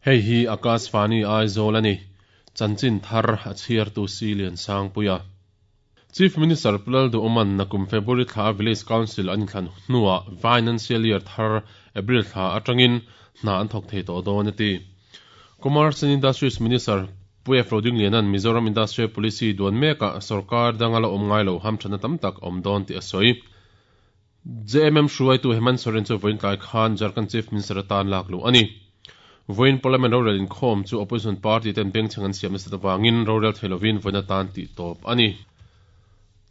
Hei hi Akashvani Aizawl a ni. Chanchin thar a chhiartu Si Liansangpuia. Chief Minister Pu Lalduhawma'n nakum February thla a Village Council an inthlan hnuah Financial Year thar April thla atangin hna an thawk thei tawh dawn a ti. Commerce and Industries Minister Pu F. Rodingliana'n Mizoram Industrial Policy duan mekah sorkar danga la awm ngai lo hamthatna tam tak a awm dawn tih a sawi. JMM hruaitu Hemant Soren chu vawiin tlai khan Jharkhand Chief Minister atan lak luh a ni. Vawiin Parliament rorel inkhawm chu Opposition party ten bengchheng an siam nasat avangin rorel thei lovin vawiin atan tih tawp a ni.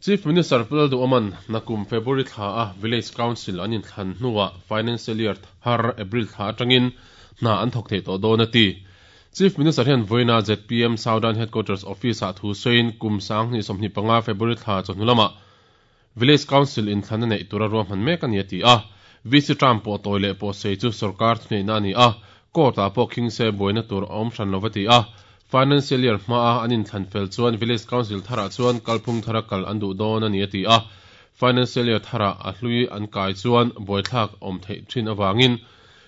Chief Minister Pu Lalduhawma'n nakum February thla a Village Council an inthlan hnuah Financial Year thar April thla atangin hna an thawk thei tawh dawn a ti. Chief Minister hian vawiina zpm Southern Headquarters Office-ah thu sawiin kum 2025 February thla chawhnu lamah Village Council inthlan a neih tura ruahman mek a ni a ti a. VC term pawh tawi leh pawh sei chu sorkar thuneihna a ni a, court-ah pawh khing se buaina tur a awm hran lo va ti a. Financial year hmaa an inthlan fel chuan Village Council tharah chuan kalphung thara kal an duh dawn a ni a ti a. Financial year tharah a hlui an kai chuan buaithlak awm theih thin avangin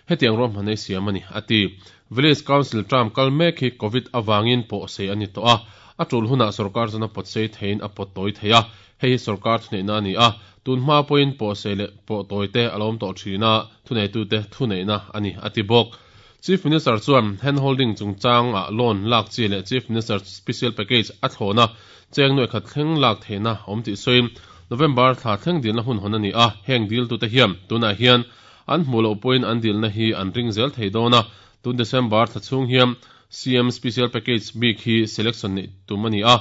hetiang ruahman ei siam a ni a ti. Village Council term kal mek hi Covid avangin pawh sei a ni tawh a, a tul hunah sorkar chuan a pawt sei theiin a pawt tawi thei a. Hei hi sorkar thuneihna a ni a, tun hma pawhin pawhsei leh pawh tawite a lo awm tawh thin a, thuneitute thuneihna a ni, a ti bawk. Chief Minister chuan hand holding chungchangah loan lak chi leh Chief Minister Special Package a thlawhna cheng nuaih khat thleng lak theihna a awm tih sawiin November thla thleng dilna hun hawn a ni a, heng diltute hian tunah hian an hmuh loh pawhin an dilna hi an ring zel thei dawn a, tun December thla chhung hian CM Special Package bik hi selection neih tum a ni a.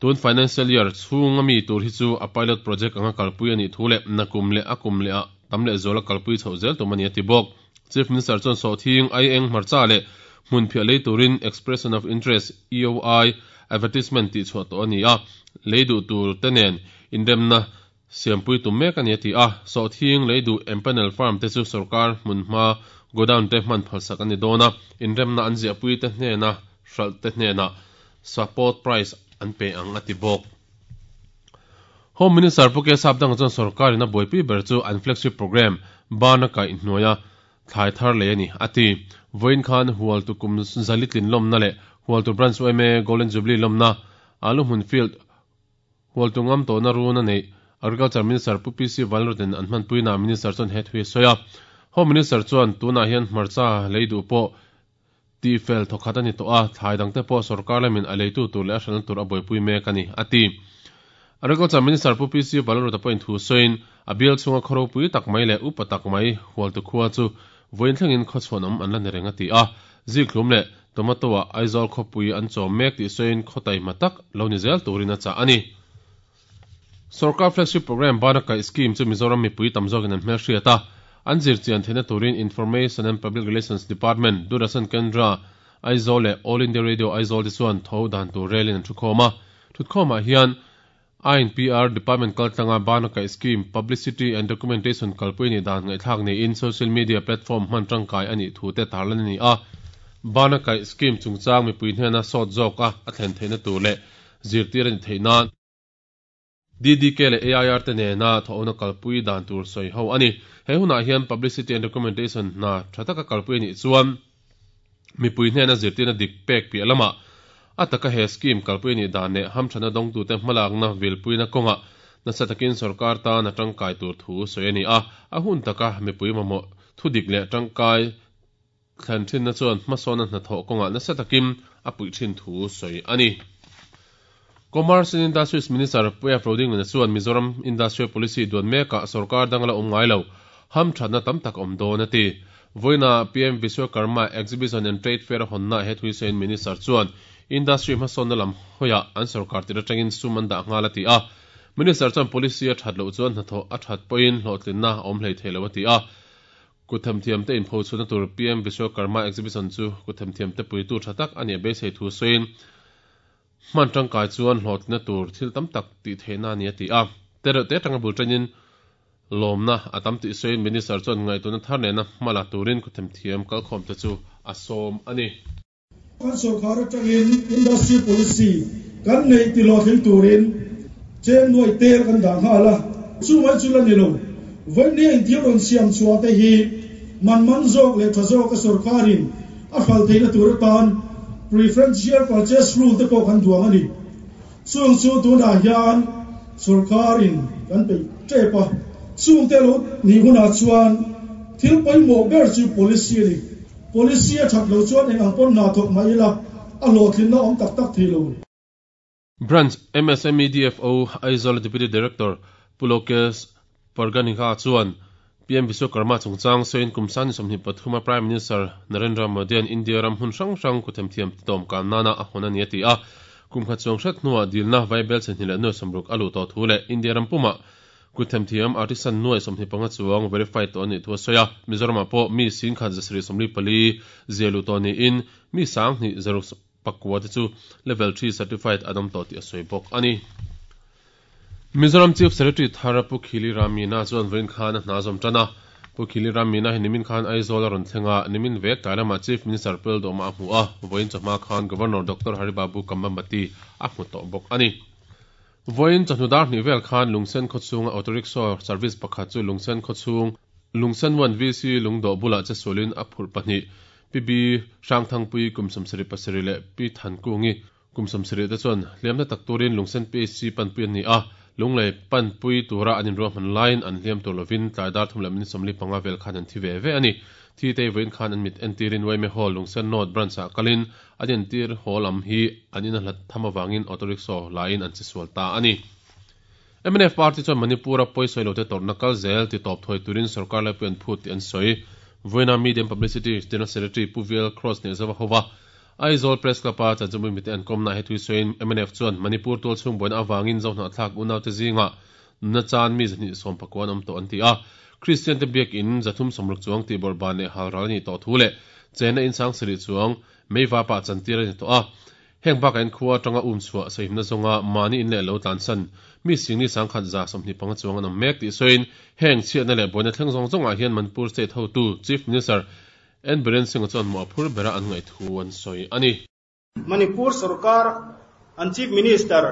Tun financial year chhunga mi tur hi chu a pilot project anga kalpui a nih thu leh nakum leh a kum leh ah tam leh zuala kalpui chhoh zel tum a ni a ti bawk. Chief Minister chuan sawhthing, aieng, hmarcha leh hmunphiah lei turin Expression of Interest, EOI, advertisement tihchhuah tawh a ni a, lei duh tur te nen inremna siampui tum mek a ni a ti a. Sawhthing lei duh empanel firm te chu sorkar hmunhma godown te hman phalsak a ni dawn a, inremna an ziahpui te hnena hralh te hnenah support price an pe ang a ti bawk. Home Minister Pu Kesap Dang chuan sorkar in a buaipui ber chu an flagship programme Bana kaih hnuaia thlai thar lei a ni a ti. Vawiin khan Hualtu kum zali tlin lawmna leh Hualtu Branch yma Golden Jubilee lawmna Aluhmun Field Hualtu ngam tawhna run a neih Agriculture Minister Pu PC Vanlalrutin an hmanpuinaah Minister chuan he thu hi a sawi a. Home Minister chuan tunah hian hmarcha lei duh pawh tihfel thawkhat a ni tawh a, thlai dangte pawh sorkar lamin a leitu tur leh a hralhna tur a buaipui mek a ni, a ti. Agriculture Minister Pu PC Vanlalruta pawhin thu sawiin, a bial chhunga khaw ropui tak mai leh upa tak mai Hualtu khua chu vawiin thlengin khaw chhuanawm an la ni reng a ti a, zikhlum leh tomato-ah Aizawl khawpui an chawm mek tih sawiin khaw taihma tak lo ni zel turin a chah a ni. Sorkar Flagship Programme bana kaih scheme chu Mizoram mipui tam zawkin an hmelhriat a, an zirchian theihna turin Information and Public Relations Department, Doordarshan Kendra, Aizawl leh All India Radio Aizawl te chuan tho dan tur relin an thukhawm a. Thutkhawmah hian INPR Department kaltlanga bana kaih scheme Publicity and Documentation kalpui nih dan ngaihthlak niin social media platform hman tangkai a nih thu te tarlan a ni a. Bana kaih scheme chungchang mipui hnena sawt zawka a thlen theihna tur leh zirtir a ni theih nan DDK leh AIR te nena thawhna kalpui dan tur sawi ho a ni. He hunah hian Publicity and Documentation hna tha taka kalpui a nih chuan mipui hnena zirtirna dik pek piah lamah a taka he scheme kalpui a nih dan leh hamthana dawngtute hmalakna vilpuina kawngah nasa takin sorkar tan a tangkai tur thu sawi a ni a, a hun taka mipui mamawh thudik leh tangkai Thlan thinna chuan hmasawna hnathawh kawngah nasa takin a puih thin thu sawi a ni. Commerce and Industries Minister Puia Prodinglana chuan Mizoram Industrial Policy duan mekah sorkar dang la awm ngai lo, hamthatna tam tak a awm dawn a ti. Vawiina PM Vishwakarma Exhibition and Trade Fair a hawnna he thui sawiin Minister chuan industry hmasawnna lam hawiah an sorkar tir atangin sum an dah nghal a ti a. Minister chuan policy a that loh chuan hnathawh a that pawhin hlawhtlinna a awm hlei thei lo a ti a. Kutthemthiamte inphochhuahna tur PM Vishwakarma Exhibition chu kutthemthiamte puitu tha tak a nih a beisei thu sawiin, hman tangkai chuan hlawhtlinna tur thil tam tak tih theihna a ni a ti a. Tereuhte atanga bul tanin lawmna a tam tih sawiin Minister chuan ngaihtuahna thar nena hma la turin kutthemthiam kalkhawmte chu a sawm a ni. Kan sorkar atangin Industry Policy kan neih ti hlawhtling turin cheng nuai tel kan dah nghal a, chu mai chu la ni lo. Vawinia inthil rawn siam chhuah te hi man man zawk leh tha zawka sorkarin a hralh theihna tur atan Preferential Purchase Rule te pawh kan duang a ni. Chung chu tunah hian sorkarin kan peih tep a, chungte lo nih hunah chuan thil pawimawh ber chu policy a ni. Policy a that loh chuan eng ang pawn hna thawk mah ila a hlawhtlinna awm tak tak thei lo. Branch MSME DFO Aizawl Deputy Director Pu Lokesh Parganiha chuan PM Vishwakarma chungchang sawiin kum sani 23 a Prime Minister Narendra Modi-a'n India ram hmun hrang hrang kutthemthiam titawm kan nana a hawn a ni a ti a. Kum khat chuang hret hnuah dilna vaibel chhe hnih leh nuai sawmruk a luh tawh thu leh India ram pumah kutthemthiam artisan nuai 25 chuang verified tawh a nih thu a sawi a. Mizoramah pawh mi singkhat 744 zia luh tawh niin mi 2 zaruk pakua te chu Level 3 Certified an awm tawh tih a sawi bawk a ni. Mizoram Chief Secretary thar Pu Khili Ram Meena chuan vawiin khan a hna zawm tan a. Pu Khili Ram Meena hi nimin khan Aizawl a rawn thleng a, nimin vek tlai lamah Chief Minister Pu Lalduhawma a hmu a, vawiin chawhma khan Governor Doctor Hari Babu Kambhampati a hmu tawh bawk a ni. Vawiin chawhnu dar hnih vel khan Lungsen khawchhunga auto rickshaw service pakhat chu Lungsen khawchhung Lungsen 1 VC lungdawh bulah che sualin a phurh pahnih Pi B Hrangthangpui kum 77 leh Pi Thankungi kum 70 te chuan hliamna tak turin Lungsen PHC panpui an ni a, Lunglei panpui tura an inruahman laiin an hliam tur lovin tlai dar thum leh minute 45 vel khan an thi ve ve a ni. Thi te vawiin khan an mit entirin Waime Hall Lungsen North Branch-ah kalin an entir haw lam hi an in a hlat tham avangin auto rickshaw laiin an che sual ta a ni. Mnf party chuan Manipur-a pawisawi lote tawrhna kal zel ti tawp thawi turin sorkar laipui an phut tih an sawi. Vawiina Media and Publicity General Secretary Pu VL Kross Nehzova hova Aizawl Press Club-a chanchinbui mite an kawmnaah he thui sawiin mnf chuan Manipur tualchhung buaina avangin Zohnahthlak unaute zingah nuna chan mi 219 an awm tawh an ti a. Kristian te biakin 360 chuang tihbawrh ban leh halral a nih tawh thu leh chenna in sang sarih chuang meiva pah chantir a ni tawh a. Heng bakah in khua atanga um chhuah sahimna zawnga mahni in leh lo tlansan mi singni sangkhat 125 chuang an awm mek tih sawiin heng chhiatna leh buaina thleng zawng zawngah hian Manipur State hotu Chief Minister N Biren Singh-a chuan mawh a phur bera an ngaih thu an sawi a ni. Manipur sorkar an Chief Minister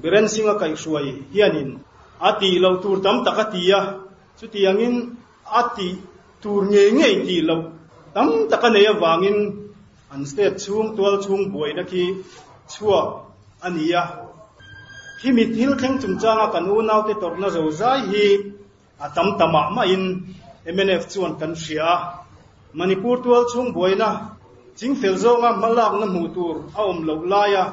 Biren Singh-a kaihhruai hianin a tih loh tur tam tak a ti a, chutiangin a tih tur ngei ngei tih loh tam tak a nei avangin An state chhung tual chhung buaina khi chhuak a ni a. Khimi thil thleng chungchanga kan unaute tawrhna zo zai hi a tam ta mah mahin mnf chuan kan hria a. Manipur tual chhung buaina chingfel zawnga hmalakna hmuh tur a awm loh laia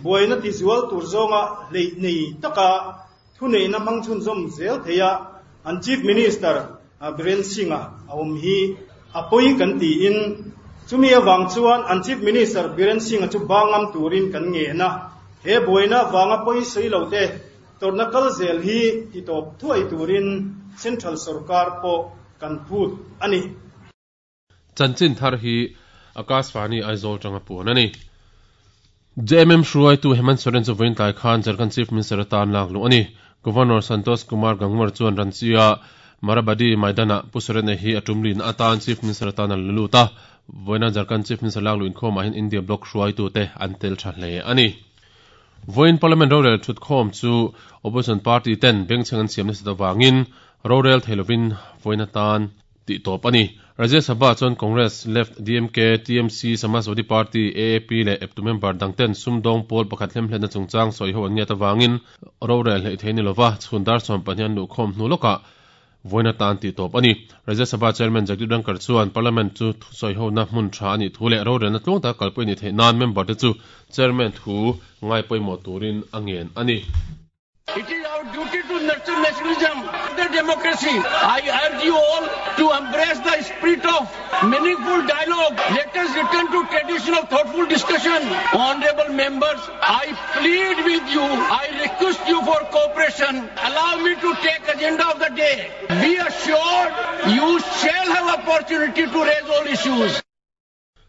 buaina tizual tur zawnga hleih nei taka thuneihna hmang chhunzawm zel theia an Chief Minister Biren Singh-a a awm hi a pawi kan tiin chumi avang chuan an Chief Minister Biren Singh-a chu bangam turin kan ngen a. He buaina vanga pawi sawi lo te tawrhna kal zel hi titawp thuai turin Central sorkar pawh kan phut a ni. Chanchin thar hi Akashvani Aizawl tanga puan a ni. JMM hruaitu Hemant Soren chu vawiin tlai khan Jharkhand Chief Minister atan lak luh a ni. Governor Santosh Kumar Gangwar chuan Ranchi-a Marabadi Maidan-ah Pu Soren-a hi a tum lihna atan Chief Minister atan a la lut a. Vawiina Jharkhand Chief Minister lak luh inkhawmah hian India bloc hruaitute an tel tha hle a ni. Vawiin Parliament rorel thutkhawm chu Opposition party ten bengchheng an siam nasat avangin rorel thei lovin vawiin atan tih tawp a ni. Rajya Sabha chuan Congress, Left, DMK, TMC, Samajwadi Party, AAP leh eptu member dang ten sumdawng pawl pakhat hlemhletna chungchang sawi ho an ngiat avangin rorel hleih thei ni lova chhun dar 12 an luhkhawm hnu lawkah vawiin atan tih tawp a ni. Rajya Sabha Chairman Jagdeep Dhankhar chuan Parliament chu thusawi hona hmun tha a nih thu leh rorelna tluang taka kalpui a nih theih nan member te chu Chairman thu ngai pawimawh turin a ngen a ni. It is our duty to nurture nationalism, the democracy. I urge you all to embrace the spirit of meaningful dialogue. Let us return to tradition of thoughtful discussion. Honorable members, I plead with you. I request you for cooperation. Allow me to take agenda of the day. Be assured you shall have opportunity to raise all issues.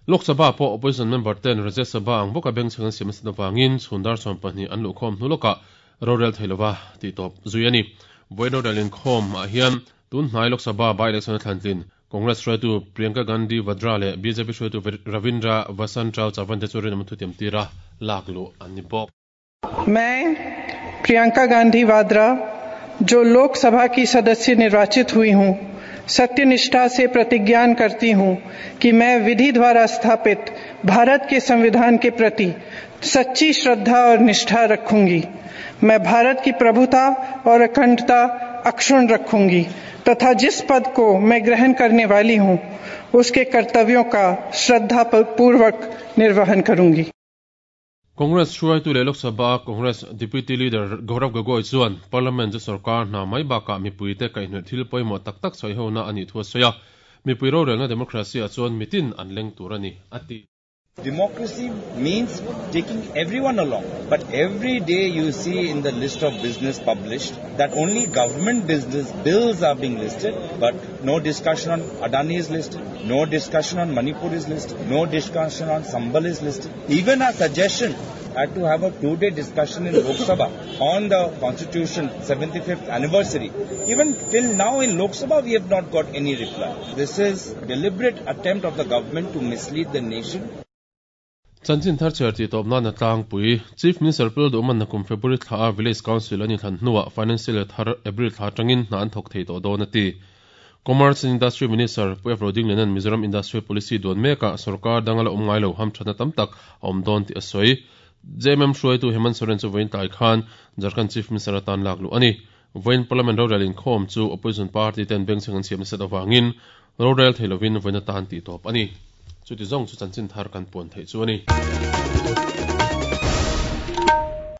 Lok Sabha pawh Opposition member ten Rajya Sabha ang bawka bengchheng an siam nasat avangin chhun dar 12 an luhkhawm hnu lawkah rorel thei lova tih tawp zui a ni. Vawiin rorel inkhawm ah hian tun hnai Lok Sabha by-election a thlantlin Congress hruaitu Priyanka Gandhi Vadra leh bjp hruaitu Ravindra Vasantrao Chavan te chu rinawm thutiam tira lak luh an ni bawk. मैं प्रियंका गांधी वाड्रा जो लोकसभा की सदस्य निर्वाचित हुई हूं, सत्यनिष्ठा से प्रतिज्ञान करती हूँ कि मैं विधि द्वारा स्थापित भारत के संविधान के प्रति सच्ची श्रद्धा और निष्ठा रखूंगी। मैं भारत की प्रभुता और अखंडता अक्षुण्ण रखूंगी तथा जिस पद को मैं ग्रहण करने वाली हूँ उसके कर्तव्यों का श्रद्धा पूर्वक निर्वहन करूंगी। Congress hruaitu leh Lok Sabha Congress Deputy Leader Gaurav Gogoi chuan Parliament chu sorkar hna mai bakah mipuite kaihhnawih thil pawimawh tak tak sawihona a nih thu a sawi a, mipui rorelna democracy ah chuan mitin an leng tur a ni, a ti. Democracy means taking everyone along, but every day you see in the list of business published that only government business bills are being listed, but no discussion on Adani is listed, no discussion on Manipur is listed, no discussion on Sambhal is listed. Even our suggestion had to have a 2-day discussion in Lok Sabha on the Constitution 75th anniversary. Even till now in Lok Sabha we have not got any reply. This is deliberate attempt of the government to mislead the nation. Chanchin thar chhiar tih tawp nana tlangpui Chief Minister Pu Lalduhman nakum February thla a Village Council an inthlan hnuah Financial year thar April thla atangin hna an thawk thei tawh dawn a ti. Commerce and Industry Minister Pu F. Rodingliana'n Mizoram Industrial Policy duan mekah sorkar danga la awm ngai lo hamthatna tam tak a awm dawn tih a sawi. JMM hruaitu Hemant Soren chu vawiin tlai khan Jharkhand Chief Minister atan lak luh a ni. Vawiin Parliament rorel inkhawm chu Opposition party ten bengchheng an siam nasat avangin rorel thei lovin vawiin atan tih tawp a ni. Chuti zawng chu chanchin thar kan puan theih chu a ni.